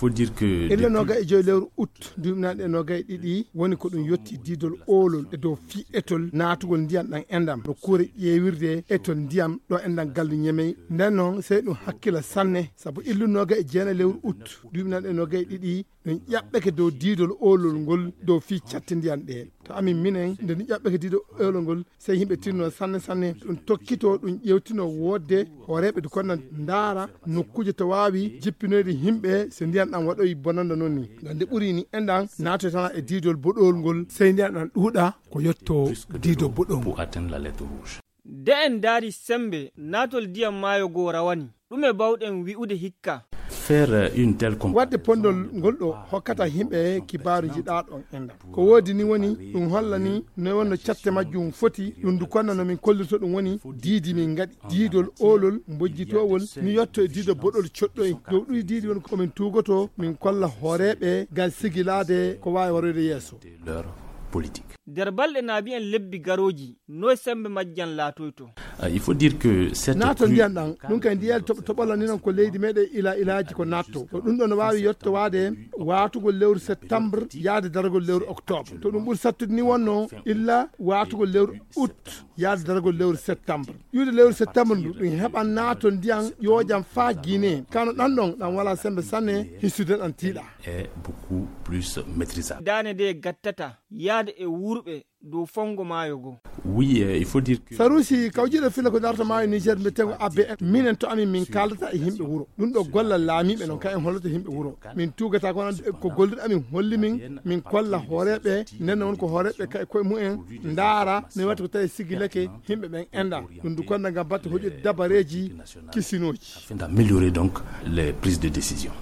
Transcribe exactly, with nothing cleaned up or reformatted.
Faut dire que illa noga e joyi lewru août duuɓi naaɗi e noga e ɗiɗi woni ko ɗum yetti diidol oolol e dow fii etol naatugol ndiyam ɗam endam no kuure ƴeewirde etol ndiyam ɗo endam gallu ñemey. Nden noon sey ɗum hakkila sanne sabu illu noga e jeena lewru août duuɓi naaɗi e noga e ɗiɗi ɗum ƴaɓɓeke dow diidol oolol ngol dow fii catti ndiyam ɗe. To amin minen nde ɗum ƴaɓɓeke diidol oolol ngol sey yimɓe tinno sanne sanne ɗum tokkito ɗum ƴewtino woodde hooreeɓe dukonna ndaara nokkuuje to waawi jippinoyde yimɓe so ndiyan ɗan waɗoyi bonanda noon ni. Ngam nde ɓuri ni enɗan naatoy tana e diidol boɗowol ngol sey ndiyan ɗan ɗuuɗa ko yetto diidol boɗowol ngol. Pour atteindre la lettre rouge. De en ndaari semmbe naatol ndiyam maayo goo rawani. Ɗume baawɗen wi'ude hikka? Faire une telle comparaison. Waɗde pondol ngol ɗo hokkata yimɓe kibaaru jiɗaaɗo on enɗan. Ko woodi ni woni ɗum holla ni no wonno catte majjum foti ɗum ndu konna no min kollirto ɗum woni diidi min ngaɗi diidol oolol mbojjitoowol ni yotto e diido boɗol coɗɗoy dow ɗuy diidi woni ko min tuugoto min kolla hooreeɓe ngal sigilaade ko waawi waroyde yeeso. Leur politique. Nder balɗe naabi en lebbi garooji noy semmbe majjan laatoyto? Euh, il faut dire que cette naatol crue ndiyan ɗan ɗum kay ndiyan toɓola ni noon ko leydi meɗen ila ilaaji ko naatto to ɗum ɗo no waawi yettowaade waatugol lewru septembre yaade daragol lewru octobre to ɗum ɓuri sattude ni wonno illa waatugol lewru août yaade daragol lewru septembre ƴuude lewru septembre ndu ɗum heɓan naatol ndiyan ƴoƴan faa guinée kano ɗan ɗon ɗan wala semmbe sanne hissude ɗan tiiɗa. Est beaucoup plus maîtrisable. Daane nde gattata yaade e wuurɓe dow fonngo maayo goo. Oui, euh, il faut dire que saruusi kawjiɗo filla ko darta maayo niger mbiyetengo abbe en minen to amin min kaldata e yimɓe wuro ɗum ɗo gollal laamiiɓe noon kay en holloto yimɓe wuro min tuugata ko noon ko golluɗo amin holli min min kolla hooreeɓe nden noon ko hooreeɓe kay koye mumen ndaara ne watti ko tawi sigilake yimɓe ɓen enda ɗum du konna ngam batte hoƴude dabareeji kisinooji. Afin d'améliorer donc les prises de décision.